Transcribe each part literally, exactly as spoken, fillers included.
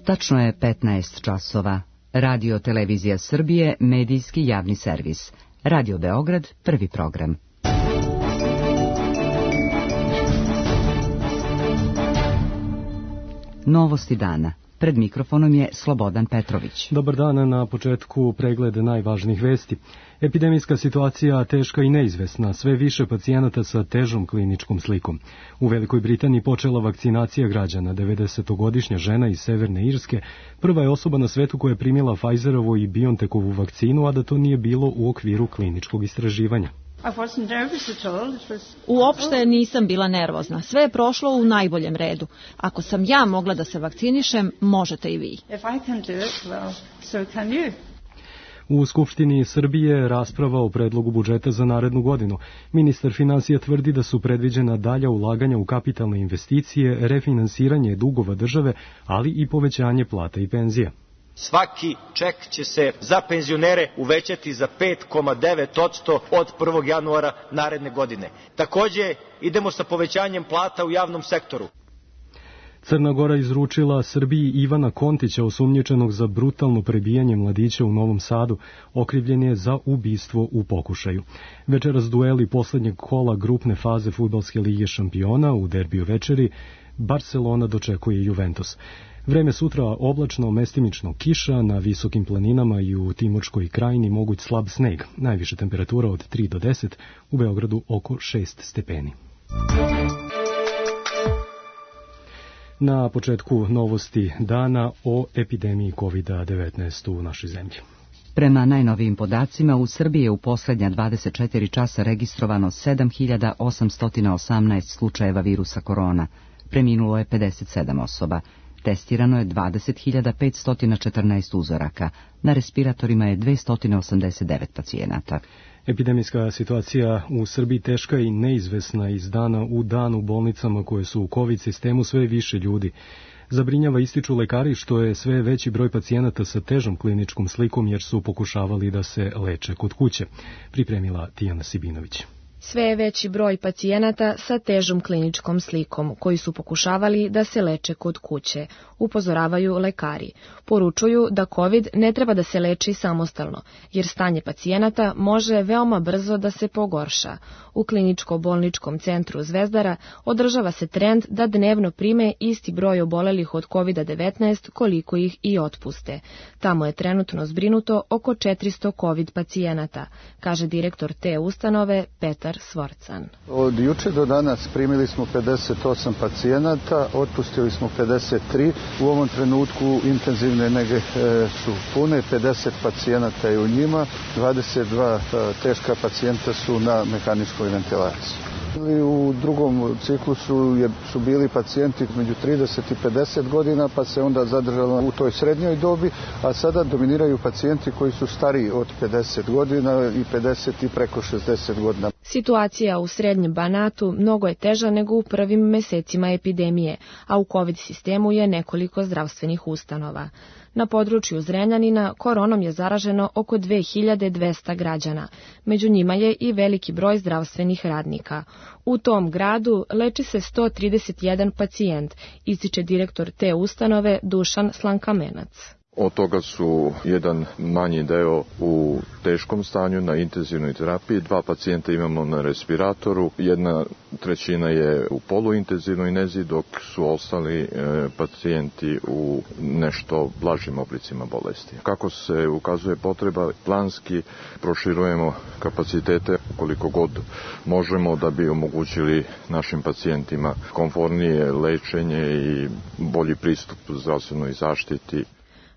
Tačno je petnaest časova. Radio Televizija Srbije, medijski javni servis. Radio Beograd, prvi program. Novosti dana. Pred mikrofonom je Slobodan Petrović. Dobar dan, na početku pregled najvažnijih vesti. Epidemijska situacija teška i neizvesna, sve više pacijenata sa težom kliničkom slikom. U Velikoj Britaniji počela vakcinacija građana. devedesetogodišnja žena iz Severne Irske prva je osoba na svetu koja je primila Pfizerovu i BioNTechovu vakcinu, a da to nije bilo u okviru kliničkog istraživanja. Uopšte nisam bila nervozna. Sve je prošlo u najboljem redu. Ako sam ja mogla da se vakcinišem, možete i vi. U Skupštini Srbije rasprava o predlogu budžeta za narednu godinu. Ministar finansija tvrdi da su predviđena dalja ulaganja u kapitalne investicije, refinansiranje dugova države, ali i povećanje plata i penzija. Svaki ček će se za penzionere uvećati za pet zarez devet posto od prvog januara naredne godine. Takođe, idemo sa povećanjem plata u javnom sektoru. Crna Gora izručila Srbiji Ivana Kontića, osumnjičenog za brutalno prebijanje mladića u Novom Sadu. Okrivljen je za ubistvo u pokušaju. Večeras dueli poslednjeg kola grupne faze Fudbalske lige šampiona. U derbiju večeri Barcelona dočekuje Juventus. Vreme sutra oblačno, mestimično kiša, na visokim planinama i u Timorskoj krajini moguć slab sneg. Najviša temperatura od tri do deset, u Beogradu oko šest stepeni. Na početku novosti dana o epidemiji kovid devetnaest u našoj zemlji. Prema najnovijim podacima, u Srbiji je u poslednja dvadeset četiri časa registrovano sedam hiljada osamsto osamnaest slučajeva virusa korona. Preminulo je pedeset sedam osoba. Testirano je dvadeset hiljada petsto četrnaest uzoraka. Na respiratorima je dvesta osamdeset devet pacijenata. Epidemijska situacija u Srbiji teška i neizvesna. Iz dana u dan u bolnicama koje su u COVID sistemu sve više ljudi. Zabrinjava, ističu lekari, što je sve veći broj pacijenata sa težom kliničkom slikom jer su pokušavali da se leče kod kuće. Pripremila Tijana Sibinović. Sve je veći broj pacijenata sa težom kliničkom slikom, koji su pokušavali da se leče kod kuće, upozoravaju lekari. Poručuju da COVID ne treba da se leči samostalno, jer stanje pacijenata može veoma brzo da se pogorša. U kliničko-bolničkom centru Zvezdara održava se trend da dnevno prime isti broj obolelih od kovid devetnaest koliko ih i otpuste. Tamo je trenutno zbrinuto oko četiristo COVID pacijenata, kaže direktor te ustanove Petar Svorcan. Od juče do danas primili smo pedeset osam pacijenata, otpustili smo pedeset tri. U ovom trenutku intenzivne nege su pune, pedeset pacijenata je u njima, dvadeset dva teška pacijenta su na mehaničkoj ventilaciji. U drugom ciklusu je, su bili pacijenti među trideset i pedeset godina, pa se onda zadržalo u toj srednjoj dobi, a sada dominiraju pacijenti koji su stariji od pedeset godina i pedeset i preko šezdeset godina. Situacija u Srednjem Banatu mnogo je teža nego u prvim mesecima epidemije, a u COVID sistemu je nekoliko zdravstvenih ustanova. Na području Zrenjanina koronom je zaraženo oko dve hiljade dvesta građana. Među njima je i veliki broj zdravstvenih radnika. U tom gradu leči se sto trideset jedan pacijent, ističe direktor te ustanove Dušan Slankamenac. Od toga su jedan manji deo u teškom stanju na intenzivnoj terapiji, dva pacijenta imamo na respiratoru, jedna trećina je u poluintenzivnoj nezi, dok su ostali e, pacijenti u nešto blažim oblicima bolesti. Kako se ukazuje potreba, planski proširujemo kapacitete koliko god možemo da bi omogućili našim pacijentima komfornije lečenje i bolji pristup zdravstvenoj zaštiti.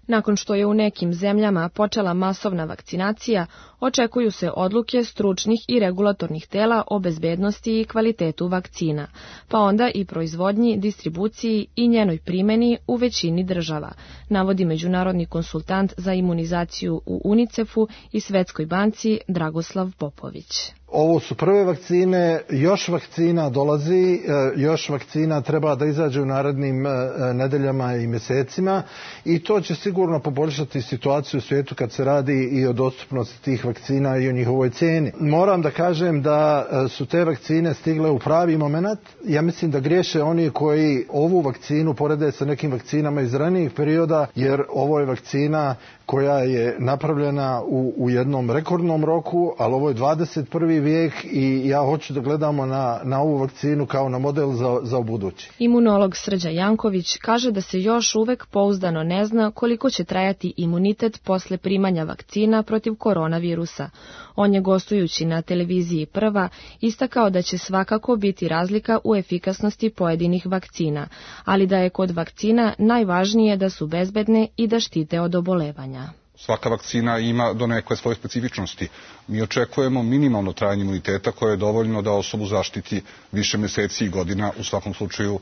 Nakon što je u nekim zemljama počela masovna vakcinacija, očekuju se odluke stručnih i regulatornih tela o bezbednosti i kvalitetu vakcina, pa onda i proizvodnji, distribuciji i njenoj primeni u većini država, navodi međunarodni konsultant za imunizaciju u UNICEF-u i Svetskoj banci Dragoslav Popović. Ovo su prve vakcine, još vakcina dolazi, još vakcina treba da izađe u narednim nedeljama i mjesecima i to će sigurno poboljšati situaciju u svijetu kad se radi i o dostupnosti tih vakcina i o njihovoj cijeni. Moram da kažem da su te vakcine stigle u pravi moment. Ja mislim da griješe oni koji ovu vakcinu porede sa nekim vakcinama iz ranijih perioda, jer ovo je vakcina koja je napravljena u, u jednom rekordnom roku, ali ovo je dvadeset prvi vijek i ja hoću da gledamo na, na ovu vakcinu kao na model za, za ubuduće. Imunolog Srđa Janković kaže da se još uvek pouzdano ne zna koliko će trajati imunitet posle primanja vakcina protiv koronavirusa. On je gostujući na televiziji Prva istakao da će svakako biti razlika u efikasnosti pojedinih vakcina, ali da je kod vakcina najvažnije da su bezbedne i da štite od obolevanja. Svaka vakcina ima donekle svoje specifičnosti. Mi očekujemo minimalno trajanje imuniteta koje je dovoljno da osobu zaštiti više mjeseci i godina, u svakom slučaju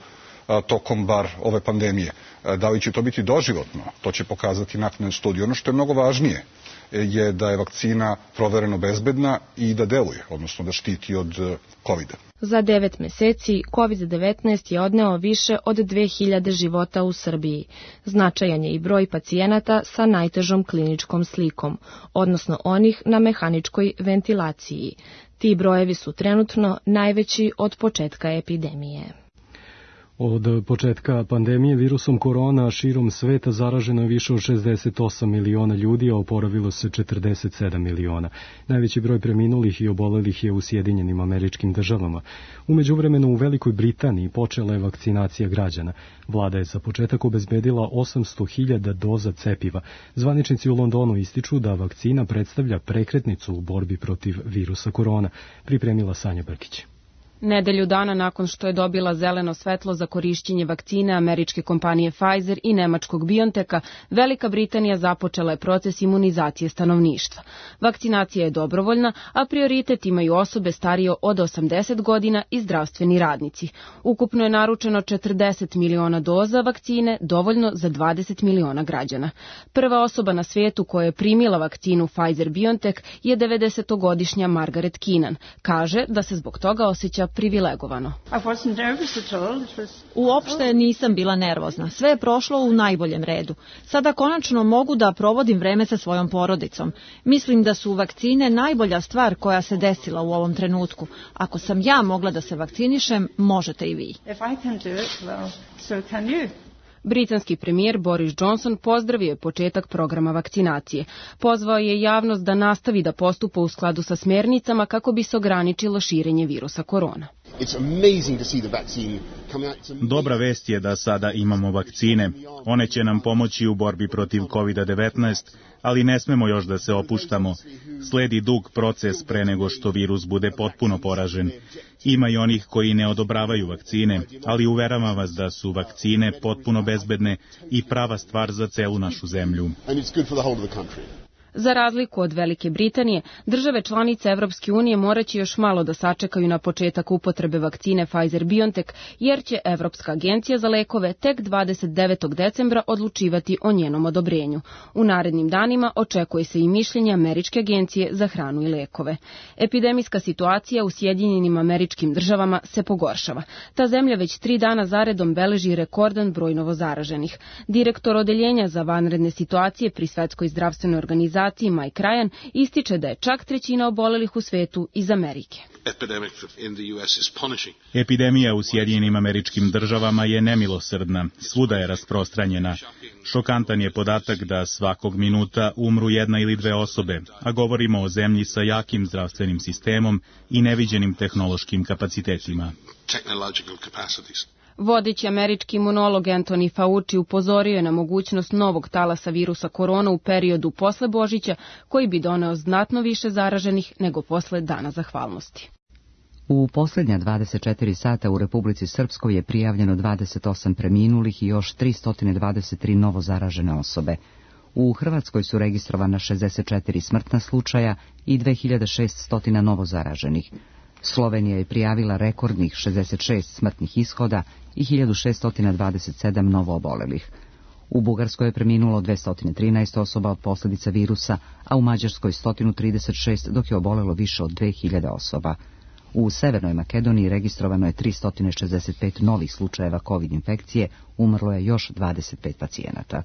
tokom bar ove pandemije. Da li će to biti doživotno, to će pokazati naknadne studije. Ono što je mnogo važnije je da je vakcina provereno bezbedna i da deluje, odnosno da štiti od kovida. Za devet meseci kovid devetnaest je odneo više od dve hiljade života u Srbiji. Značajan je i broj pacijenata sa najtežom kliničkom slikom, odnosno onih na mehaničkoj ventilaciji. Ti brojevi su trenutno najveći od početka epidemije. Od početka pandemije virusom korona širom sveta zaraženo je više od šezdeset osam miliona ljudi, a oporavilo se četrdeset sedam miliona. Najveći broj preminulih i obolelih je u Sjedinjenim Američkim Državama. U međuvremenu u Velikoj Britaniji počela je vakcinacija građana. Vlada je za početak obezbedila osamsto hiljada doza cepiva. Zvaničnici u Londonu ističu da vakcina predstavlja prekretnicu u borbi protiv virusa korona. Pripremila Sanja Brkić. Nedelju dana nakon što je dobila zeleno svetlo za korišćenje vakcine američke kompanije Pfizer i nemačkog BioNTecha, Velika Britanija započela je proces imunizacije stanovništva. Vakcinacija je dobrovoljna, a prioritet imaju osobe starije od osamdeset godina i zdravstveni radnici. Ukupno je naručeno četrdeset miliona doza vakcine, dovoljno za dvadeset miliona građana. Prva osoba na svijetu koja je primila vakcinu Pfizer-BioNTech je devedesetogodišnja Margaret Keenan. Kaže da se zbog toga osjeća privilegovano. Uopšte nisam bila nervozna. Sve je prošlo u najboljem redu. Sada konačno mogu da provodim vreme sa svojom porodicom. Mislim da su vakcine najbolja stvar koja se desila u ovom trenutku. Ako sam ja mogla da se vakcinišem, možete i vi. Britanski premijer Boris Johnson pozdravio je početak programa vakcinacije. Pozvao je javnost da nastavi da postupa u skladu sa smjernicama kako bi se ograničilo širenje virusa korona. Dobra vest je da sada imamo vakcine. One će nam pomoći u borbi protiv kovid devetnaest, ali ne smemo još da se opuštamo. Sledi dug proces pre nego što virus bude potpuno poražen. Ima i onih koji ne odobravaju vakcine, ali uveravam vas da su vakcine potpuno bezbedne i prava stvar za celu našu zemlju. Za razliku od Velike Britanije, države članice Evropske unije moraće još malo da sačekaju na početak upotrebe vakcine Pfizer-BioNTech, jer će Evropska agencija za lekove tek dvadeset devetog decembra odlučivati o njenom odobrenju. U narednim danima očekuje se i mišljenje Američke agencije za hranu i lekove. Epidemijska situacija u Sjedinjenim Američkim Državama se pogoršava. Ta zemlja već tri dana zaredom beleži rekordan broj novozaraženih. Direktor odeljenja za vanredne situacije pri Svetskoj zdravstvenoj organizaciji Mike Ryan ističe da je čak trećina obolelih u svetu iz Amerike. Epidemija u Sjedinjenim Američkim Državama je nemilosrdna, svuda je rasprostranjena. Šokantan je podatak da svakog minuta umru jedna ili dve osobe, a govorimo o zemlji sa jakim zdravstvenim sistemom i neviđenim tehnološkim kapacitetima. Vodeći američki imunolog Anthony Fauci upozorio je na mogućnost novog talasa virusa korona u periodu posle Božića, koji bi doneo znatno više zaraženih nego posle Dana zahvalnosti. U posljednja dvadeset četiri sata u Republici Srpskoj je prijavljeno dvadeset osam preminulih i još tristo dvadeset tri novo zaražene osobe. U Hrvatskoj su registrovana šezdeset četiri smrtna slučaja i dve hiljade šessto novo zaraženih. Slovenija je prijavila rekordnih šezdeset šest smrtnih ishoda i hiljadu šeststo dvadeset sedam novo obolelih. U Bugarskoj je preminulo dvesta trinaest osoba od posljedica virusa, a u Mađarskoj sto trideset šest, dok je obolelo više od dve hiljade osoba. U Severnoj Makedoniji registrovano je tristo šezdeset pet novih slučajeva COVID infekcije, umrlo je još dvadeset pet pacijenata.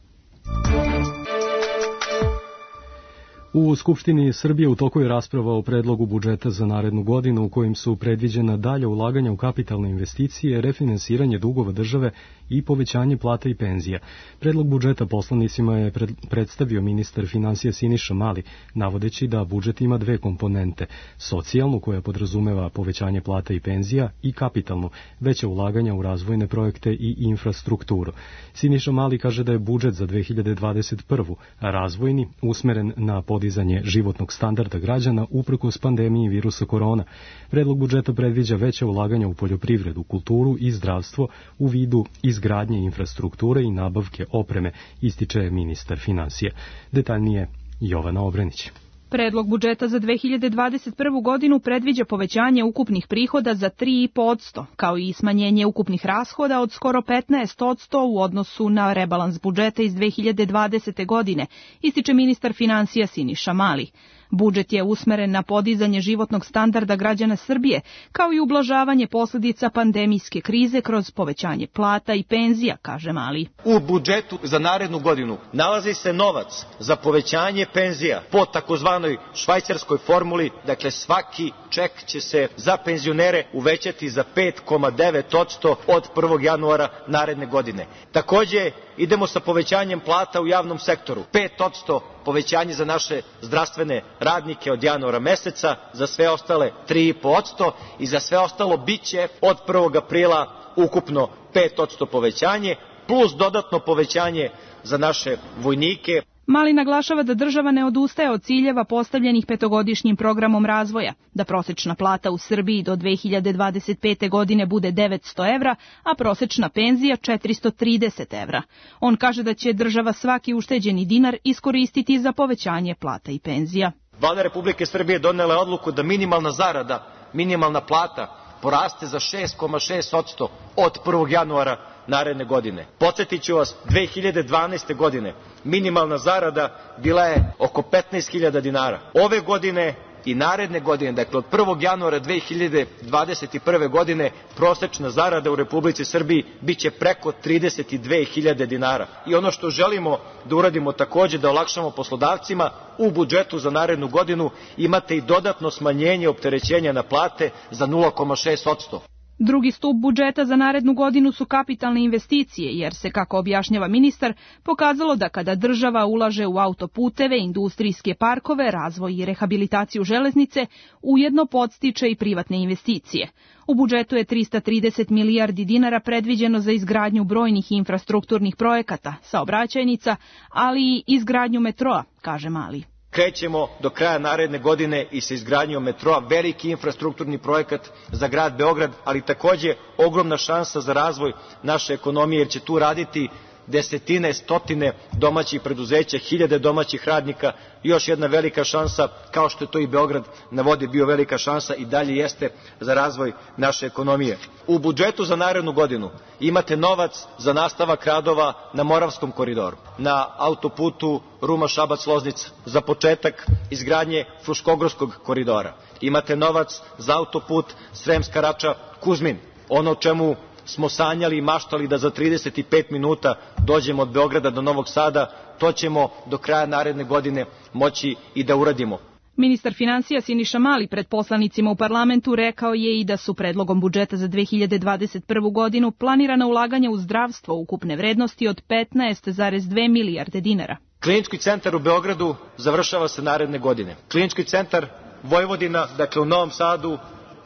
U Skupštini Srbije u toku je rasprava o predlogu budžeta za narednu godinu u kojim su predviđena dalja ulaganja u kapitalne investicije, refinansiranje dugova države i povećanje plata i penzija. Predlog budžeta poslanicima je pred, predstavio ministar finansija Siniša Mali, navodeći da budžet ima dve komponente, socijalnu koja podrazumeva povećanje plata i penzija i kapitalnu, veća ulaganja u razvojne projekte i infrastrukturu. Siniša Mali kaže da je budžet za dve hiljade dvadeset prvu. razvojni, usmeren na podizanje životnog standarda građana uprkos pandemiji virusa korona. Predlog budžeta predviđa veća ulaganja u poljoprivredu, kulturu i zdravstvo u vidu izgradnje infrastrukture i nabavke opreme, ističe ministar finansija. Detaljnije Jovana Obrenić. Predlog budžeta za dve hiljade dvadeset prvu. godinu predviđa povećanje ukupnih prihoda za tri i po posto, kao i smanjenje ukupnih rashoda od skoro petnaest posto u odnosu na rebalans budžeta iz dve hiljade dvadesete. godine, ističe ministar finansija Siniša Mali. Budžet je usmeren na podizanje životnog standarda građana Srbije, kao i ublažavanje posljedica pandemijske krize kroz povećanje plata i penzija, kaže Mali. U budžetu za narednu godinu nalazi se novac za povećanje penzija po takozvanoj švajcarskoj formuli, dakle svaki ček će se za penzionere uvećati za pet zarez devet posto od prvog januara naredne godine. Takođe, idemo sa povećanjem plata u javnom sektoru, pet posto povećanje za naše zdravstvene radnike od januara meseca, za sve ostale tri i po posto i za sve ostalo biće od prvog aprila ukupno pet posto povećanje, plus dodatno povećanje za naše vojnike. Mali naglašava da država ne odustaje od ciljeva postavljenih petogodišnjim programom razvoja, da prosečna plata u Srbiji do dve hiljade dvadeset pete. godine bude devetsto evra, a prosečna penzija četiristo trideset evra. On kaže da će država svaki ušteđeni dinar iskoristiti za povećanje plata i penzija. Vlada Republike Srbije donela je odluku da minimalna zarada, minimalna plata poraste za šest zarez šest posto od prvog januara naredne godine. Podsjetiću vas, dve hiljade dvanaeste. godine minimalna zarada bila je oko petnaest hiljada dinara. Ove godine i naredne godine, dakle od prvog januara dve hiljade dvadeset prve. godine, prosečna zarada u Republici Srbiji biće preko trideset dve hiljade dinara. I ono što želimo da uradimo takođe, da olakšamo poslodavcima, u budžetu za narednu godinu imate i dodatno smanjenje opterećenja na plate za nula zarez šest posto. Drugi stup budžeta za narednu godinu su kapitalne investicije, jer se, kako objašnjava ministar, pokazalo da kada država ulaže u autoputeve, industrijske parkove, razvoj i rehabilitaciju železnice, ujedno podstiče i privatne investicije. U budžetu je trista trideset milijardi dinara predviđeno za izgradnju brojnih infrastrukturnih projekata, saobraćajnica, ali i izgradnju metroa, kaže Mali. Krećemo do kraja naredne godine i sa izgradnjom metroa, veliki infrastrukturni projekat za grad Beograd, ali takođe ogromna šansa za razvoj naše ekonomije, jer će tu raditi desetine, stotine domaćih preduzeća, hiljade domaćih radnika, još jedna velika šansa, kao što je to i Beograd na vodi bio velika šansa i dalje jeste za razvoj naše ekonomije. U budžetu za narednu godinu imate novac za nastavak radova na Moravskom koridoru, na autoputu Ruma-Šabac-Loznica, za početak izgradnje Fruškogorskog koridora. Imate novac za autoput Sremska Rača-Kuzmin, ono o čemu smo sanjali i maštali da za trideset pet minuta dođemo od Beograda do Novog Sada, to ćemo do kraja naredne godine moći i da uradimo. Ministar finansija Siniša Mali pred poslanicima u parlamentu rekao je i da su predlogom budžeta za dve hiljade dvadeset prvu. godinu planirana ulaganja u zdravstvo ukupne vrednosti od petnaest zarez dve milijarde dinara. Klinički centar u Beogradu završava se naredne godine. Klinički centar Vojvodina, dakle u Novom Sadu,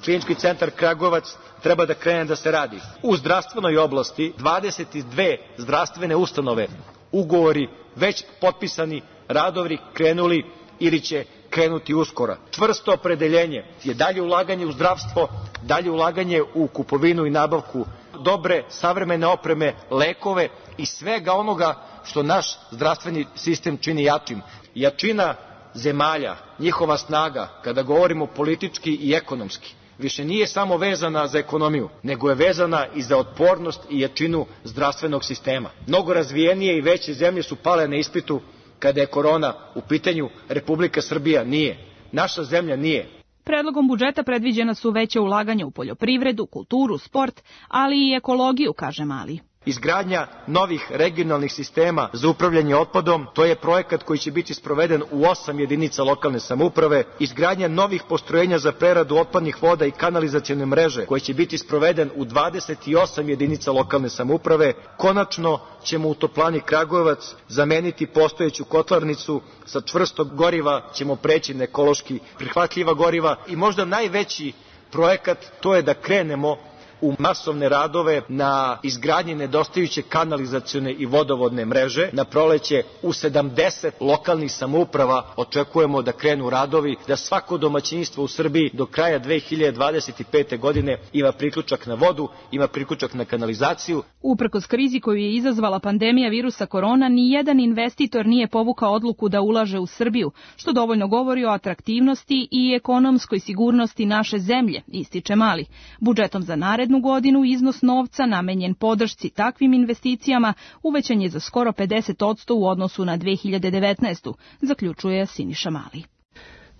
Klinički centar Kragujevac treba da krene da se radi. U zdravstvenoj oblasti dvadeset dve zdravstvene ustanove, ugovori već potpisani, radovi krenuli ili će krenuti uskoro. Čvrsto opredeljenje je dalje ulaganje u zdravstvo, dalje ulaganje u kupovinu i nabavku dobre, savremene opreme, lekove i svega onoga što naš zdravstveni sistem čini jačim. Jačina zemalja, njihova snaga, kada govorimo politički i ekonomski, više nije samo vezana za ekonomiju, nego je vezana i za otpornost i jačinu zdravstvenog sistema. Mnogo razvijenije i veće zemlje su pale na ispitu kada je korona u pitanju, Republika Srbija nije. Naša zemlja nije. Predlogom budžeta predviđena su veće ulaganja u poljoprivredu, kulturu, sport, ali i ekologiju, kaže Mali. Izgradnja novih regionalnih sistema za upravljanje otpadom, to je projekat koji će biti sproveden u osam jedinica lokalne samouprave. Izgradnja novih postrojenja za preradu otpadnih voda i kanalizacione mreže, koji će biti sproveden u dvadeset osam jedinica lokalne samouprave. Konačno ćemo u toplani Kragujevac zameniti postojeću kotlarnicu, sa čvrstog goriva ćemo preći na ekološki prihvatljiva goriva i možda najveći projekat, to je da krenemo u masovne radove na izgradnji nedostajuće kanalizacione i vodovodne mreže. Na proleće u sedamdeset lokalnih samouprava očekujemo da krenu radovi, da svako domaćinstvo u Srbiji do kraja dve hiljade dvadeset pete. godine ima priključak na vodu, ima priključak na kanalizaciju. Uprkos krizi koju je izazvala pandemija virusa korona, ni jedan investitor nije povukao odluku da ulaže u Srbiju, što dovoljno govori o atraktivnosti i ekonomskoj sigurnosti naše zemlje, ističe Mali. Budžetom za narednu godinu iznos novca namenjen podršci takvim investicijama uvećan je za skoro pedeset posto u odnosu na dve hiljade devetnaestu. zaključuje Siniša Mali.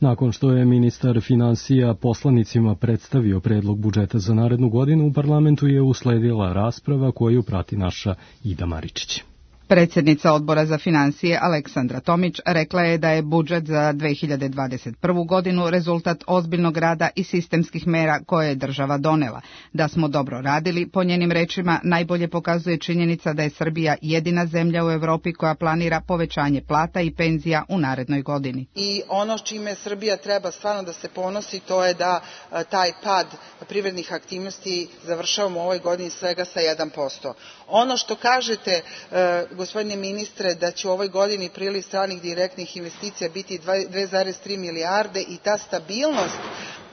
Nakon što je ministar finansija poslanicima predstavio predlog budžeta za narednu godinu, u parlamentu je usledila rasprava koju prati naša Ida Maričić. Predsjednica Odbora za finansije Aleksandra Tomić rekla je da je budžet za dve hiljade dvadeset prvu. godinu rezultat ozbiljnog rada i sistemskih mera koje je država donela. Da smo dobro radili, po njenim rečima, najbolje pokazuje činjenica da je Srbija jedina zemlja u Evropi koja planira povećanje plata i penzija u narednoj godini. I ono s čime Srbija treba stvarno da se ponosi, to je da taj pad privrednih aktivnosti završavamo u ovoj godini svega sa jedan posto. Ono što kažete, gospodine ministre, da će u ovoj godini priliv stranih direktnih investicija biti dve zarez tri milijarde i ta stabilnost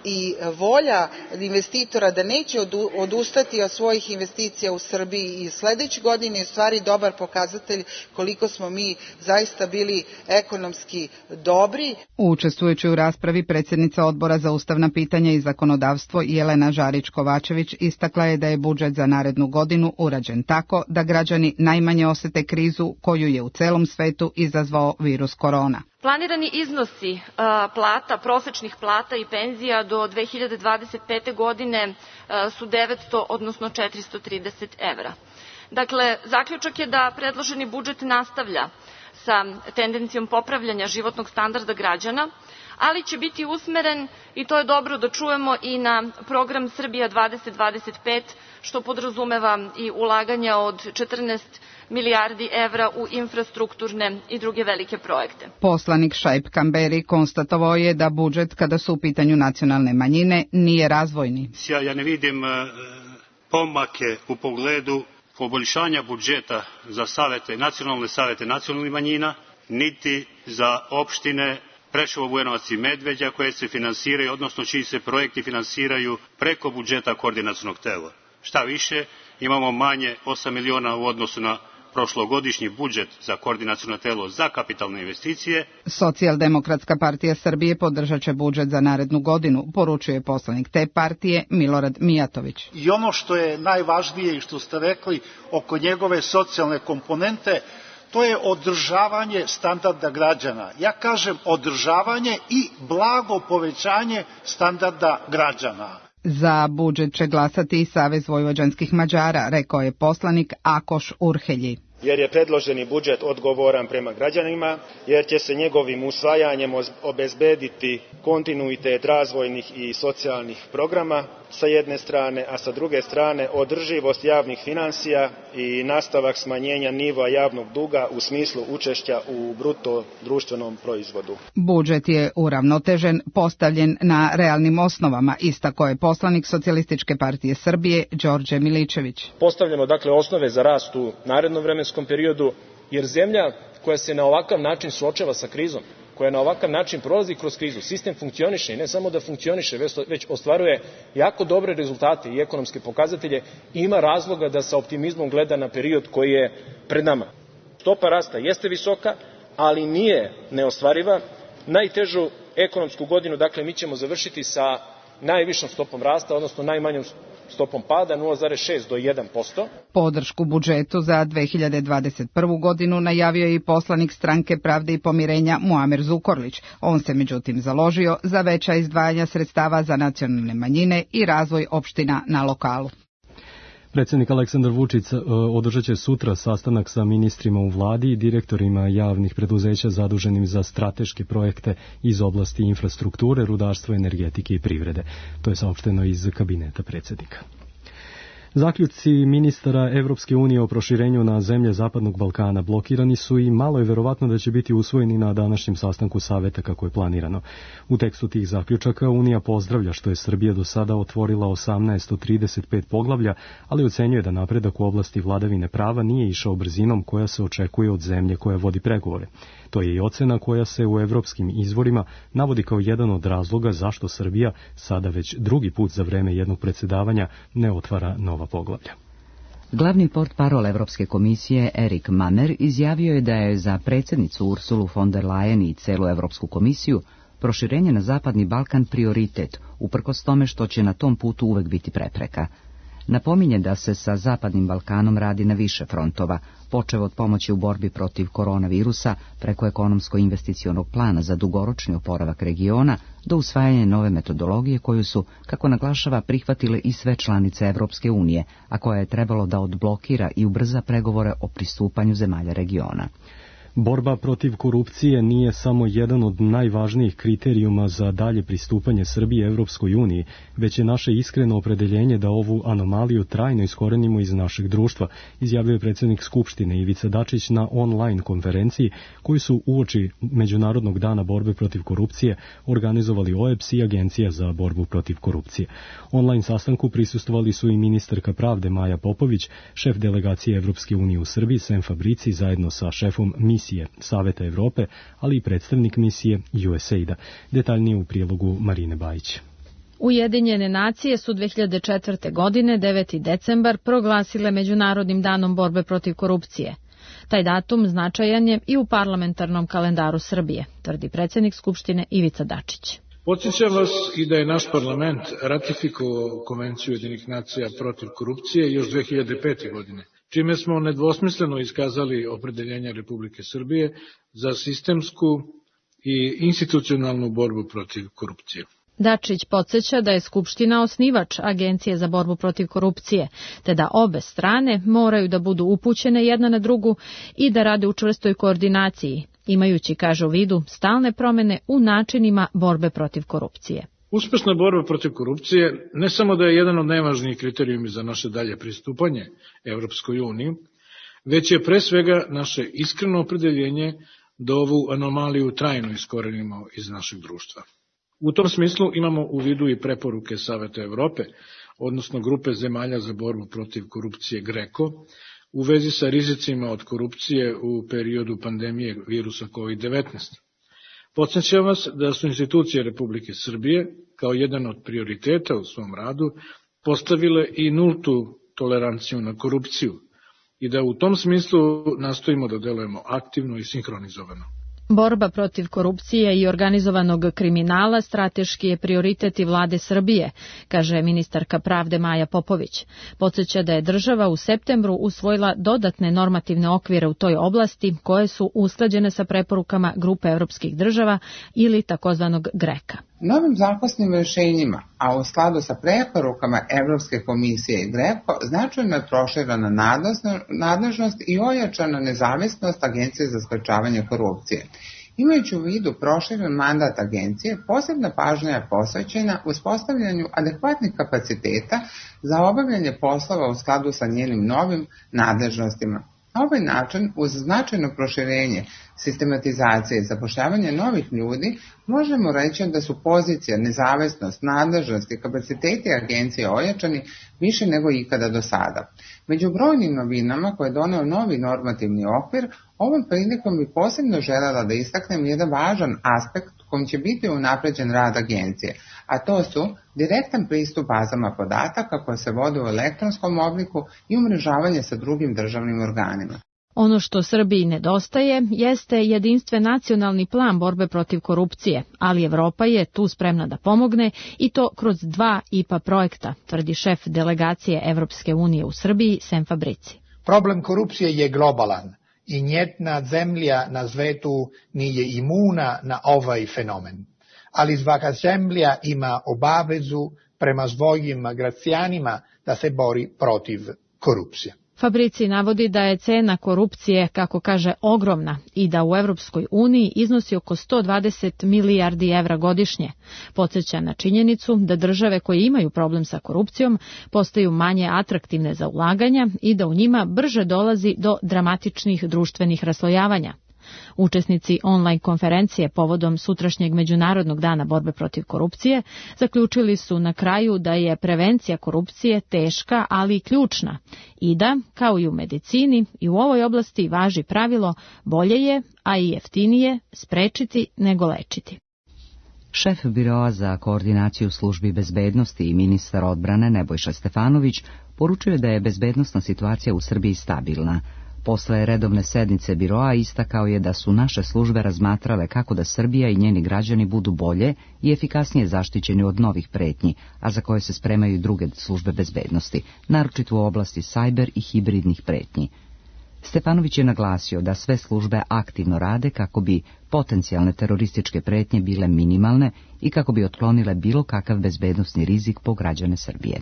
i volja investitora da neće odustati od svojih investicija u Srbiji i sledeće godine je u stvari dobar pokazatelj koliko smo mi zaista bili ekonomski dobri. Učestvujući u raspravi, predsjednica Odbora za ustavna pitanja i zakonodavstvo Jelena Žarić-Kovačević istakla je da je budžet za narednu godinu urađen tako da građani najmanje osete krizu koju je u celom svetu izazvao virus korona. Planirani iznosi a, plata, prosečnih plata i penzija do dve hiljade dvadeset pete. godine a, su devetsto, odnosno četiristo trideset evra. Dakle, zaključak je da predloženi budžet nastavlja sa tendencijom popravljanja životnog standarda građana, ali će biti usmeren, i to je dobro da čujemo, i na program Srbija dvadeset dvadeset pet, što podrazumeva i ulaganja od četrnaest milijardi evra u infrastrukturne i druge velike projekte. Poslanik Šaip Kamberi konstatovao je da budžet, kada su u pitanju nacionalne manjine, nije razvojni. Ja ne vidim pomake u pogledu poboljšanja budžeta za savete, nacionalne savete nacionalnih manjina, niti za opštine Preševo, Bujanovac i Medveđa koje se finansiraju, odnosno čiji se projekti finansiraju preko budžeta koordinacionog tela. Šta više, imamo manje osam miliona u odnosu na prošlogodišnji budžet za koordinaciono telo za kapitalne investicije. Socijaldemokratska partija Srbije podržat će budžet za narednu godinu, poručuje poslanik te partije Milorad Mijatović. I ono što je najvažnije i što ste rekli oko njegove socijalne komponente, to je održavanje standarda građana. Ja kažem održavanje i blago povećanje standarda građana. Za budžet će glasati i Savez vojvođanskih Mađara, rekao je poslanik Akoš Urhelji. Jer je predloženi budžet odgovoran prema građanima, jer će se njegovim usvajanjem obezbediti kontinuitet razvojnih i socijalnih programa sa jedne strane, a sa druge strane održivost javnih finansija i nastavak smanjenja nivoa javnog duga u smislu učešća u bruto društvenom proizvodu. Budžet je uravnotežen, postavljen na realnim osnovama, istakao je poslanik Socijalističke partije Srbije Đorđe Miličević. Postavljamo dakle osnove za rast u narednom vremenskom periodu, jer zemlja koja se na ovakav način suočava sa krizom, koja na ovakav način prolazi kroz krizu, sistem funkcioniše i ne samo da funkcioniše, već ostvaruje jako dobre rezultate i ekonomske pokazatelje, ima razloga da sa optimizmom gleda na period koji je pred nama. Stopa rasta jeste visoka, ali nije neostvariva. Najtežu ekonomsku godinu, dakle, mi ćemo završiti sa najvišom stopom rasta, odnosno najmanjom stopom pada nula zarez šest do jedan posto. Podršku budžetu za dve hiljade dvadeset prvu godinu najavio je i poslanik Stranke pravde i pomirenja Muamer Zukorlić. On se međutim založio za veća izdvajanja sredstava za nacionalne manjine i razvoj opština na lokalu. Predsjednik Aleksandar Vučić održat će sutra sastanak sa ministrima u vladi i direktorima javnih preduzeća zaduženim za strateške projekte iz oblasti infrastrukture, rudarstva, energetike i privrede. To je saopšteno iz kabineta predsjednika. Zaključci ministara Evropske unije o proširenju na zemlje Zapadnog Balkana blokirani su i malo je verovatno da će biti usvojeni na današnjem sastanku saveta kako je planirano. U tekstu tih zaključaka Unija pozdravlja što je Srbija do sada otvorila osamnaest od trideset pet poglavlja, ali ocenjuje da napredak u oblasti vladavine prava nije išao brzinom koja se očekuje od zemlje koja vodi pregovore. To je i ocena koja se u evropskim izvorima navodi kao jedan od razloga zašto Srbija sada već drugi put za vreme jednog predsjedavanja ne otvara nova poglavlja. Glavni portparol Evropske komisije Erik Mamer izjavio je da je za predsjednicu Ursulu von der Leyen i celu Evropsku komisiju proširenje na Zapadni Balkan prioritet, uprkos tome što će na tom putu uvek biti prepreka. Napominje da se sa Zapadnim Balkanom radi na više frontova, počev od pomoći u borbi protiv koronavirusa preko ekonomsko-investicionog plana za dugoročni oporavak regiona do usvajanja nove metodologije koju su, kako naglašava, prihvatile i sve članice Evropske unije, a koja je trebalo da odblokira i ubrza pregovore o pristupanju zemalja regiona. Borba protiv korupcije nije samo jedan od najvažnijih kriterijuma za dalje pristupanje Srbije Evropskoj uniji, već je naše iskreno opredeljenje da ovu anomaliju trajno iskorenimo iz našeg društva, izjavio je predsjednik Skupštine Ivica Dačić na online konferenciji koju su uoči Međunarodnog dana borbe protiv korupcije organizovali O E B S i Agencija za borbu protiv korupcije. Online sastanku prisustvovali su i ministarka pravde Maja Popović, šef delegacije Evropske unije u Srbiji Sem Fabrici zajedno sa šefom misije Saveta Evrope, ali i predstavnik misije U S A I D-a. Detaljnije u prilogu Marine Bajić. Ujedinjene nacije su dve hiljade četvrte. godine, deveti decembar, proglasile Međunarodnim danom borbe protiv korupcije. Taj datum značajan je i u parlamentarnom kalendaru Srbije, tvrdi predsjednik Skupštine Ivica Dačić. Podsjećam vas i da je naš parlament ratifikovao Konvenciju Ujedinjenih nacija protiv korupcije još dve hiljade pete. godine, čime smo nedvosmisleno iskazali opredeljenje Republike Srbije za sistemsku i institucionalnu borbu protiv korupcije. Dačić podsjeća da je Skupština osnivač Agencije za borbu protiv korupcije, te da obe strane moraju da budu upućene jedna na drugu i da rade u čvrstoj koordinaciji, imajući, kaže, u vidu stalne promene u načinima borbe protiv korupcije. Uspešna borba protiv korupcije ne samo da je jedan od najvažnijih kriterijuma za naše dalje pristupanje Evropskoj uniji, već je pre svega naše iskreno opredeljenje da ovu anomaliju trajno iskorenimo iz našeg društva. U tom smislu imamo u vidu i preporuke Saveta Evrope, odnosno grupe zemalja za borbu protiv korupcije GRECO, u vezi sa rizicima od korupcije u periodu pandemije virusa kovid devetnaest. Podsjećam vas da su institucije Republike Srbije, kao jedan od prioriteta u svom radu, postavile i nultu toleranciju na korupciju i da u tom smislu nastojimo da delujemo aktivno i sinhronizovano. Borba protiv korupcije i organizovanog kriminala strateški je prioritet i vlade Srbije, kaže ministarka pravde Maja Popović. Podsjeća da je država u septembru usvojila dodatne normativne okvire u toj oblasti koje su usklađene sa preporukama grupe evropskih država ili takozvanog GRECA. Novim zakonskim rešenjima, a u skladu sa preporukama Evropske komisije i GRECO, značajno je proširena nadležnost i ojačana nezavisnost Agencije za sprečavanje korupcije. Imajući u vidu proširen mandat agencije, posebna pažnja je posvećena uspostavljanju adekvatnih kapaciteta za obavljanje poslova u skladu sa njenim novim nadležnostima. Na ovaj način, uz značajno proširenje sistematizacije i zapošljavanje novih ljudi, možemo reći da su pozicija, nezavisnost, nadležnost i kapaciteti agencije ojačani više nego ikada do sada. Među brojnim novinama koje je doneo novi normativni okvir, ovom prilikom bi posebno želela da istaknem jedan važan aspekt kojim će biti unapređen rad agencije, a to su direktan pristup bazama podataka koje se vode u elektronskom obliku i umrežavanje sa drugim državnim organima. Ono što Srbiji nedostaje jeste jedinstven nacionalni plan borbe protiv korupcije, ali Evropa je tu spremna da pomogne i to kroz dva I P A projekta, tvrdi šef delegacije Evropske unije u Srbiji Sem Fabrici. Problem korupcije je globalan i nijedna zemlja na svetu nije imuna na ovaj fenomen, ali svaka zemlja ima obavezu prema svojim građanima da se bori protiv korupcije. Fabrici navodi da je cena korupcije, kako kaže, ogromna i da u Evropskoj uniji iznosi oko sto dvadeset milijardi evra godišnje. Podsjeća na činjenicu da države koje imaju problem sa korupcijom postaju manje atraktivne za ulaganja i da u njima brže dolazi do dramatičnih društvenih raslojavanja. Učesnici online konferencije povodom sutrašnjeg Međunarodnog dana borbe protiv korupcije zaključili su na kraju da je prevencija korupcije teška, ali i ključna i da, kao i u medicini, i u ovoj oblasti važi pravilo bolje je, a i jeftinije, sprečiti nego lečiti. Šef Biroa za koordinaciju službi bezbednosti i ministar odbrane Nebojša Stefanović poručuje da je bezbednosna situacija u Srbiji stabilna. Posle redovne sednice biroa istakao je da su naše službe razmatrale kako da Srbija i njeni građani budu bolje i efikasnije zaštićeni od novih pretnji, a za koje se spremaju i druge službe bezbednosti, naročito u oblasti sajber i hibridnih pretnji. Stefanović je naglasio da sve službe aktivno rade kako bi potencijalne terorističke pretnje bile minimalne i kako bi otklonile bilo kakav bezbednosni rizik po građane Srbije.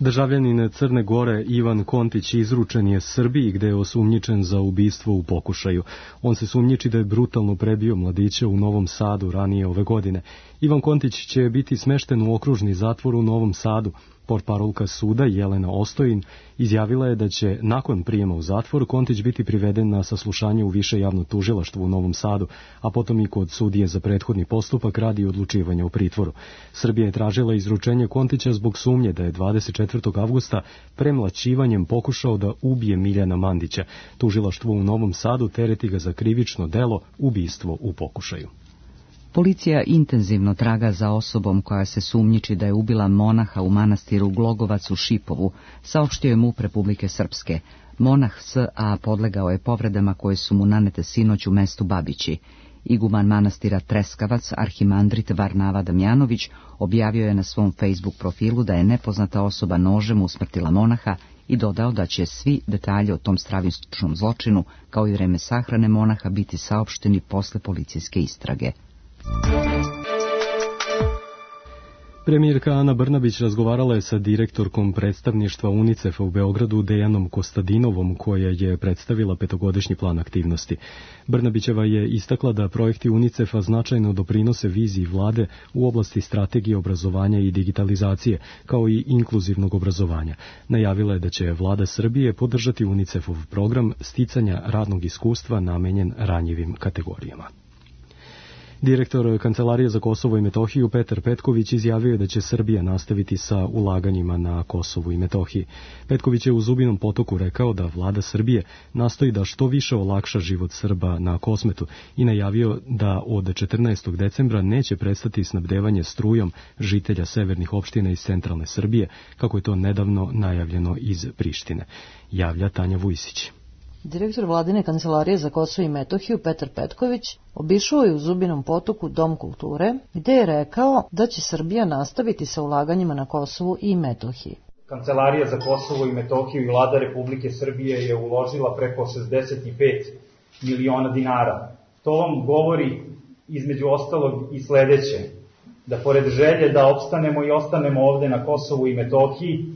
Državljanin Crne Gore Ivan Kontić izručen je Srbiji gde je osumnjičen za ubistvo u pokušaju. On se sumnjiči da je brutalno prebio mladića u Novom Sadu ranije ove godine. Ivan Kontić će biti smešten u okružni zatvor u Novom Sadu. Portparolka suda Jelena Ostojin izjavila je da će nakon prijema u zatvor Kontić biti priveden na saslušanje u više javno tužilaštvo u Novom Sadu, a potom i kod sudije za prethodni postupak radi odlučivanja u pritvoru. Srbija je tražila izručenje Kontića zbog sumnje da je dvadeset četvrtog avgusta premlaćivanjem pokušao da ubije Miljana Mandića. Tužilaštvo u Novom Sadu tereti ga za krivično delo ubistvo u pokušaju. Policija intenzivno traga za osobom koja se sumnjiči da je ubila monaha u manastiru Glogovac u Šipovu, saopštio je M U P Republike Srpske. Monah S A podlegao je povredama koje su mu nanete sinoć u mestu Babići. Iguman manastira Treskavac, arhimandrit Varnava Damjanović, objavio je na svom Facebook profilu da je nepoznata osoba nožem usmrtila monaha i dodao da će svi detalji o tom stravičnom zločinu, kao i vreme sahrane monaha, biti saopšteni posle policijske istrage. Premijerka Ana Brnabić razgovarala je sa direktorkom predstavništva UNICEF-a u Beogradu Dejanom Kostadinovom, koja je predstavila petogodišnji plan aktivnosti. Brnabićeva je istakla da projekti UNICEF-a značajno doprinose viziji vlade u oblasti strategije obrazovanja i digitalizacije, kao i inkluzivnog obrazovanja. Najavila je da će vlada Srbije podržati UNICEF-ov program sticanja radnog iskustva namenjen ranjivim kategorijama. Direktor Kancelarije za Kosovo i Metohiju Petar Petković izjavio je da će Srbija nastaviti sa ulaganjima na Kosovu i Metohiji. Petković je u Zubinom Potoku rekao da vlada Srbije nastoji da što više olakša život Srba na Kosmetu i najavio da od četrnaestog decembra neće prestati snabdevanje strujom žitelja severnih opština iz centralne Srbije, kako je to nedavno najavljeno iz Prištine. Javlja Tanja Vujsić. Direktor vladine Kancelarije za Kosovo i Metohiju Petar Petković obišao je u Zubinom Potoku Dom kulture, gde je rekao da će Srbija nastaviti sa ulaganjima na Kosovu i Metohiji. Kancelarija za Kosovo i Metohiju i vlada Republike Srbije je uložila preko šezdeset pet miliona dinara. To vam govori između ostalog i sledeće, da pored želje da opstanemo i ostanemo ovde na Kosovu i Metohiji,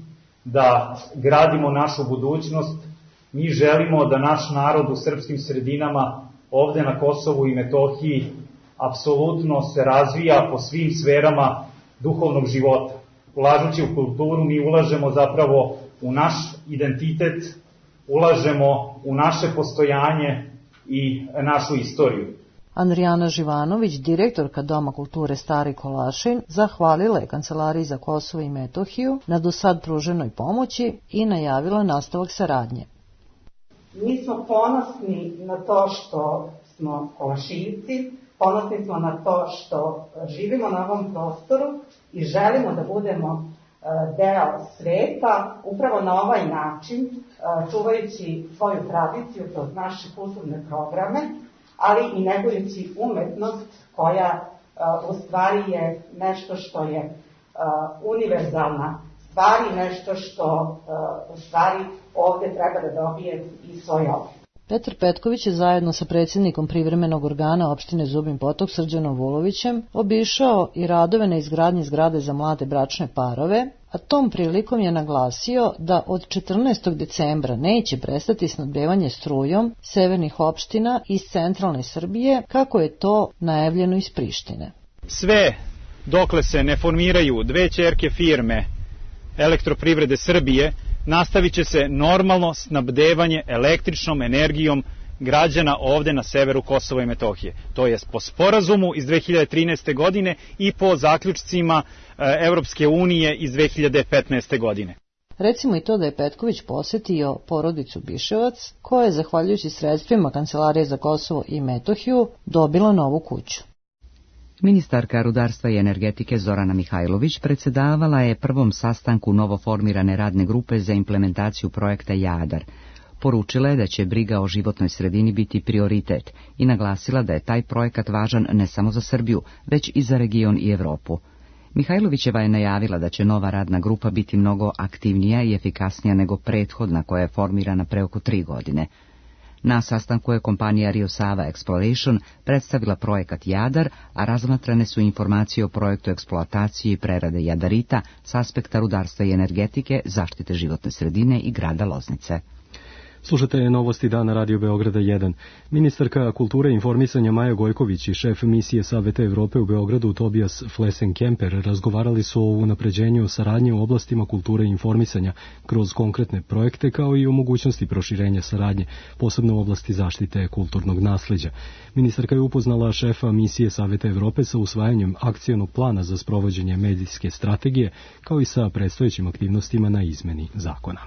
da gradimo našu budućnost, mi želimo da naš narod u srpskim sredinama ovde na Kosovu i Metohiji apsolutno se razvija po svim sferama duhovnog života. Ulažući u kulturu mi ulažemo zapravo u naš identitet, ulažemo u naše postojanje i našu istoriju. Andrijana Živanović, direktorka Doma kulture Stari Kolašin, zahvalila je Kancelariji za Kosovo i Metohiju na do sad pruženoj pomoći i najavila nastavak saradnje. Mi smo ponosni na to što smo Kolašinci, ponosni smo na to što živimo na ovom prostoru i želimo da budemo deo sveta, upravo na ovaj način, čuvajući svoju tradiciju kroz naše kulturne programe, ali i negujući umetnost koja u stvari je nešto što je univerzalna stvar i nešto što u stvari ovde treba da dobije i svoj oblik. Petar Petković je zajedno sa predsjednikom privremenog organa opštine Zubin Potok Srđanom Vulovićem obišao i radove na izgradnji zgrade za mlade bračne parove, a tom prilikom je naglasio da od četrnaestog decembra neće prestati snabdevanje strujom severnih opština iz centralne Srbije, kako je to najavljeno iz Prištine. Sve dokle se ne formiraju dve ćerke firme Elektroprivrede Srbije, nastavit će se normalno snabdevanje električnom energijom građana ovde na severu Kosova i Metohije. To je po sporazumu iz dve hiljade trinaeste. godine i po zaključcima Evropske unije iz dve hiljade petnaeste. godine. Recimo i to da je Petković posetio porodicu Biševac, koja je, zahvaljujući sredstvima Kancelarije za Kosovo i Metohiju, dobila novu kuću. Ministarka rudarstva i energetike Zorana Mihajlović predsedavala je prvom sastanku novoformirane radne grupe za implementaciju projekta Jadar. Poručila je da će briga o životnoj sredini biti prioritet i naglasila da je taj projekat važan ne samo za Srbiju, već i za region i Evropu. Mihajlovićeva je najavila da će nova radna grupa biti mnogo aktivnija i efikasnija nego prethodna koja je formirana pre oko tri godine. Na sastanku je kompanija Rio Sava Exploration predstavila projekat Jadar, a razmatrane su informacije o projektu eksploatacije i prerade jadarita s aspekta rudarstva i energetike, zaštite životne sredine i grada Loznice. Slušate novosti dana Radio Beograda jedan. Ministarka kulture i informisanja Maja Gojković i šef misije Saveta Evrope u Beogradu Tobias Flesen-Kemper razgovarali su o unapređenju saradnje u oblastima kulture i informisanja kroz konkretne projekte, kao i o mogućnosti proširenja saradnje, posebno u oblasti zaštite kulturnog nasleđa. Ministarka je upoznala šefa misije Saveta Evrope sa usvajanjem akcionog plana za sprovođenje medijske strategije, kao i sa predstojećim aktivnostima na izmeni zakona.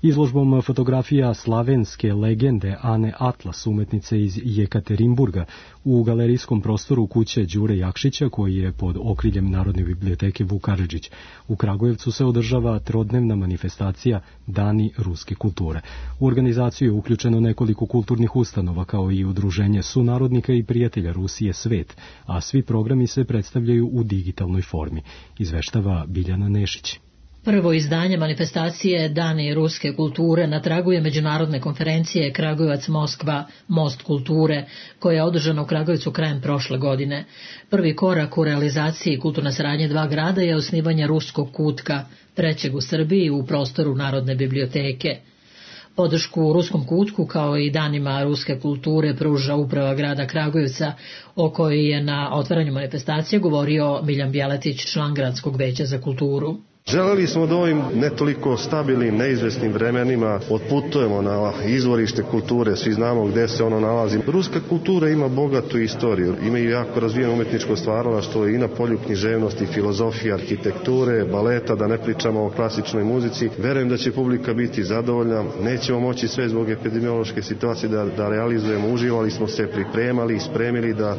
Izložbom fotografija slavenske legende Ane Atlas, umetnice iz Jekaterinburga, u galerijskom prostoru kuće Đure Jakšića, koji je pod okriljem Narodne biblioteke Vuk Karadžić. U Kragujevcu se održava trodnevna manifestacija Dani ruske kulture. U organizaciju je uključeno nekoliko kulturnih ustanova, kao i udruženje sunarodnika i prijatelja Rusije Svet, a svi programi se predstavljaju u digitalnoj formi, izveštava Biljana Nešić. Prvo izdanje manifestacije Dani ruske kulture na tragu je međunarodne konferencije Kragujevac-Moskva Most kulture, koja je održana u Kragujevcu krajem prošle godine. Prvi korak u realizaciji kulturne saradnje dva grada je osnivanje ruskog kutka, trećeg u Srbiji u prostoru Narodne biblioteke. Podršku ruskom kutku kao i danima ruske kulture pruža uprava grada Kragujevca, o kojoj je na otvaranju manifestacije govorio Miljan Bjeletić, član gradskog veća za kulturu. Želeli smo da ovim ne toliko stabilnim, neizvesnim vremenima otputujemo na izvorište kulture, svi znamo gde se ono nalazi. Ruska kultura ima bogatu istoriju, ima i jako razvijeno umetničko stvaralaštvo i na polju književnosti, filozofije, arhitekture, baleta, da ne pričamo o klasičnoj muzici. Verujem da će publika biti zadovoljna, nećemo moći sve zbog epidemiološke situacije da, da realizujemo, uživali smo se, pripremali, spremili da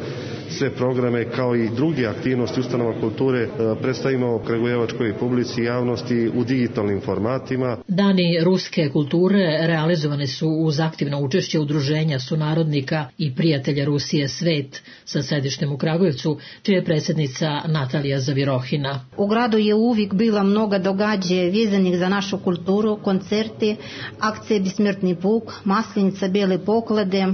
sve programe kao i druge aktivnosti ustanova kulture predstavimo kragujevačkoj publici javnosti u digitalnim formatima. Dani ruske kulture realizovane su uz aktivno učešće udruženja sunarodnika i prijatelja Rusije Svet sa sedištem u Kragujevcu, čija je predsjednica Natalija Zavirohina. U gradu je uvijek bila mnoga događaja vezanih za našu kulturu, koncerti, akcije Besmrtni puk, Maslenica, Bele poklade,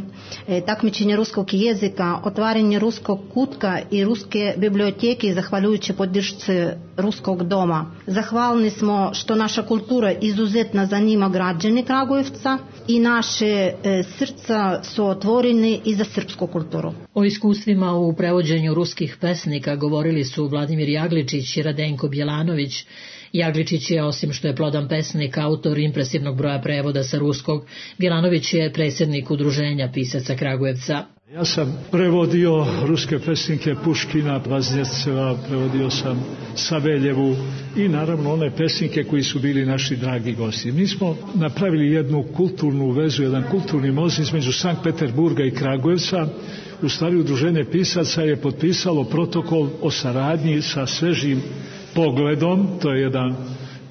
takmičenje ruskog jezika, otvaranje ruskog kutka i ruske biblioteke zahvaljujući podršci ruskog doma. Zahvalni smo što naša kultura izuzetno zanima građane Kragujevca i naše e, srca su otvoreni i za srpsku kulturu. O iskustvima u prevođenju ruskih pesnika govorili su Vladimir Jagličić i Radenko Bjelanović. Jagličić je, osim što je plodan pesnik, autor impresivnog broja prevoda sa ruskog. Bjelanović je predsjednik udruženja pisaca Kragujevca. Ja sam prevodio ruske pesnike Puškina, Vaznjeceva, prevodio sam Saveljevu i naravno one pesnike koji su bili naši dragi gosti. Mi smo napravili jednu kulturnu vezu, jedan kulturni most između Sankt Peterburga i Kragujevca. U stvari udruženje pisaca je potpisalo protokol o saradnji sa svežim Pogledom, to je jedan,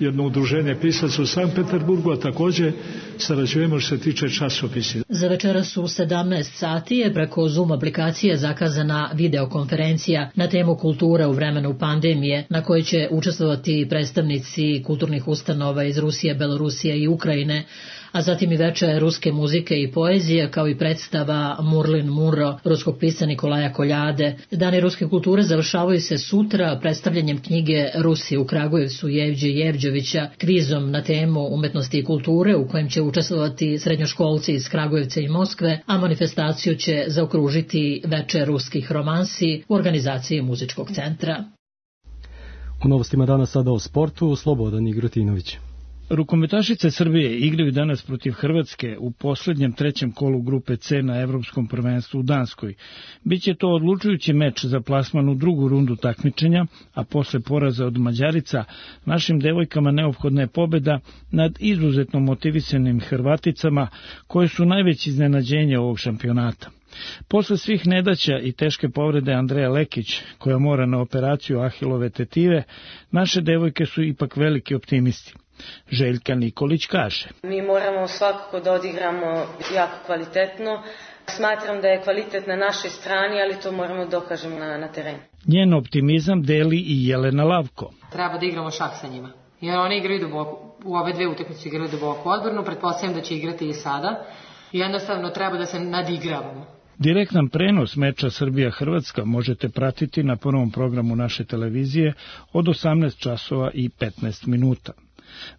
jedno udruženje pisaca u Sankt Peterburgu, a takođe sarađujemo što se tiče časopisa. Za večeras u sedamnaest sati je preko Zoom aplikacije zakazana videokonferencija na temu kultura u vremenu pandemije, na kojoj će učestvovati predstavnici kulturnih ustanova iz Rusije, Belorusije i Ukrajine, a zatim i veče ruske muzike i poezije, kao i predstava Murlin Muro ruskog pisca Nikolaja Koljade. Dani ruske kulture završavaju se sutra predstavljanjem knjige Rusi u Kragujevcu Jevđe Jevđovića Krizom na temu umetnosti i kulture, u kojem će učestvovati srednjoškolci iz Kragujevca i Moskve, a manifestaciju će zaokružiti veče ruskih romansi u organizaciji muzičkog centra. U novostima danas sada o sportu, Slobodan Igrotinović. Rukometašice Srbije igraju danas protiv Hrvatske u poslednjem trećem kolu grupe C na Evropskom prvenstvu u Danskoj. Biće to odlučujući meč za plasman u drugu rundu takmičenja, a posle poraza od Mađarica našim devojkama neophodna je pobeda nad izuzetno motivisanim Hrvaticama, koje su najveće iznenađenje ovog šampionata. Posle svih nedaća i teške povrede Andreja Lekić, koja mora na operaciju ahilove tetive, naše devojke su ipak veliki optimisti. Željka Nikolić kaže: Mi moramo svakako da odigramo jako kvalitetno. Smatram da je kvalitet na našoj strani, ali to moramo dokažemo na, na terenu. Njen optimizam deli i Jelena Lavko. Treba da igramo šah sa njima, jer oni igraju duboko, u ove dve utakmice igraju duboko odbranu, pretpostavljam da će igrati i sada. Jednostavno treba da se nadigravamo. Direktan prenos meča Srbija-Hrvatska možete pratiti na prvom programu naše televizije od osamnaest časova i petnaest minuta.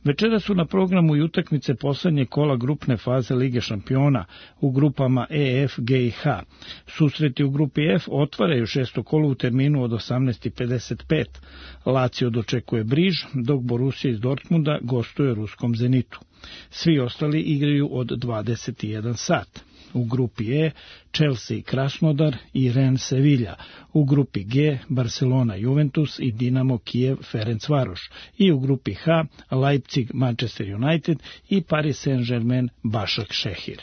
Večera su na programu i utakmice poslednje kola grupne faze Lige šampiona u grupama E, F, G i H. Susreti u grupi F otvaraju šesto kolo u terminu od osamnaest i pedeset pet. Lazio dočekuje Briž, dok Borussia iz Dortmunda gostuje ruskom Zenitu. Svi ostali igraju od dvadeset jedan sat. U grupi E Chelsea i Krasnodar i Rennes Sevilla, u grupi G Barcelona Juventus i Dinamo Kijev Ferencvaroš i u grupi H Leipzig Manchester United i Paris Saint-Germain Başak Šehir.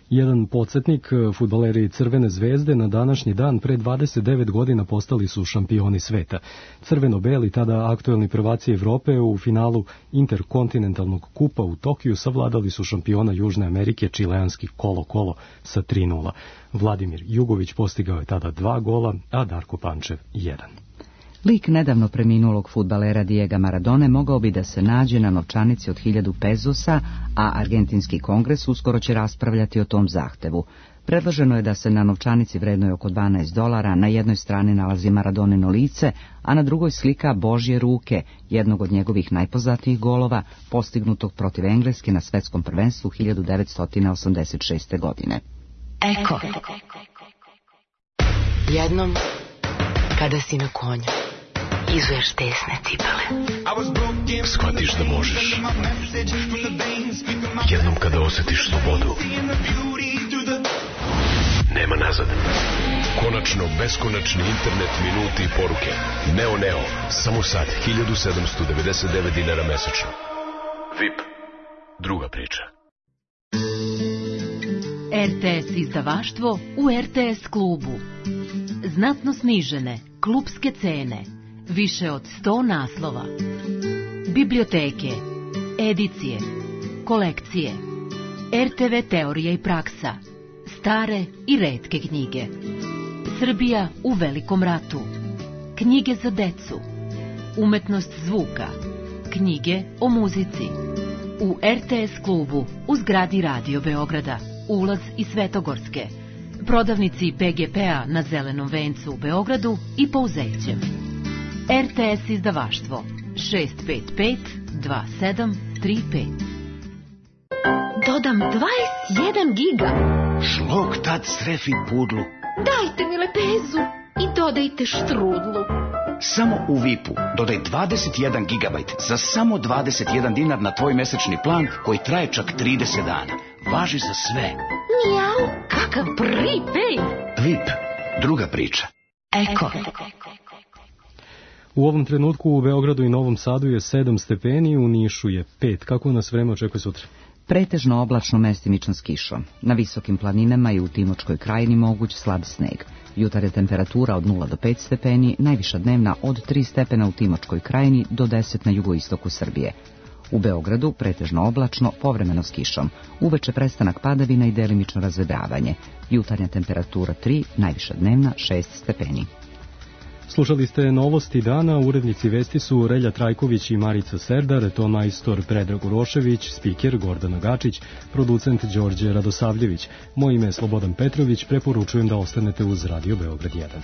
Jedan podsjetnik, fudbaleri Crvene zvezde na današnji dan pre dvadeset devet godina postali su šampioni sveta. Crveno-beli, tada aktuelni prvaci Evrope, u finalu interkontinentalnog kupa u Tokiju savladali su šampiona Južne Amerike čileanski Kolo-Kolo sa tri nula. Vladimir Jugović postigao je tada dva gola, a Darko Pančev jedan. Lik nedavno preminulog fudbalera Diega Maradone mogao bi da se nađe na novčanici od hiljadu pezosa, a Argentinski kongres uskoro će raspravljati o tom zahtevu. Predloženo je da se na novčanici vrednoj oko dvanaest dolara na jednoj strani nalazi Maradonino lice, a na drugoj slika Božje ruke, jednog od njegovih najpoznatijih golova, postignutog protiv Engleske na svetskom prvenstvu hiljadu devetsto osamdeset šeste. godine. Eko. Jednom, kada si na konju, izuješ tesne cipele. Shvatiš da možeš. Jednom kada osjetiš slobodu, nema nazad. Konačno beskonačni internet, minuti i poruke. Neo Neo, samo sad, hiljadu sedamsto devedeset devet dinara mesečno. V I P, druga priča. R T S izdavaštvo u R T S klubu. Znatno snižene klubske cene. Više od sto naslova. Biblioteke, edicije, kolekcije, R T V teorija i praksa, stare i retke knjige. Srbija u velikom ratu. Knjige za decu. Umetnost zvuka. Knjige o muzici. U R T S klubu u zgradi Radio Beograda. Ulaz iz Svetogorske. Prodavnici P G P-a na Zelenom vencu u Beogradu i Pouzećem. R T S izdavaštvo šest pet pet dva sedam tri pet. Dodam dvadeset jedan giga. Šlog tad srefi pudlu. Dajte mi lepezu i dodajte štrudlu. Samo u V I P-u dodaj dvadeset jedan gigabajt za samo dvadeset jedan dinar na tvoj mesečni plan koji traje čak trideset dana. Važi za sve. Mijau, kakav prepaid. V I P, druga priča. Eko. U ovom trenutku u Beogradu i Novom Sadu je sedam stepeni, u Nišu je pet. Kako nas vreme očekuje sutra? Pretežno oblačno, mestimično s kišom. Na visokim planinama i u Timočkoj krajini moguć slab sneg. Jutarnja temperatura od nula do pet stepeni, najviša dnevna od tri stepena u Timočkoj krajini do deset na jugoistoku Srbije. U Beogradu pretežno oblačno, povremeno s kišom. Uveče prestanak padavina i delimično razvedravanje. Jutarnja temperatura tri, najviša dnevna šest stepeni. Slušali ste novosti dana, urednici vesti su Relja Trajković i Marica Serdar, ton majstor Predrag Urošević, spiker Gordana Gačić, producent Đorđe Radosavljević. Moje ime je Slobodan Petrović, preporučujem da ostanete uz Radio Beograd jedan.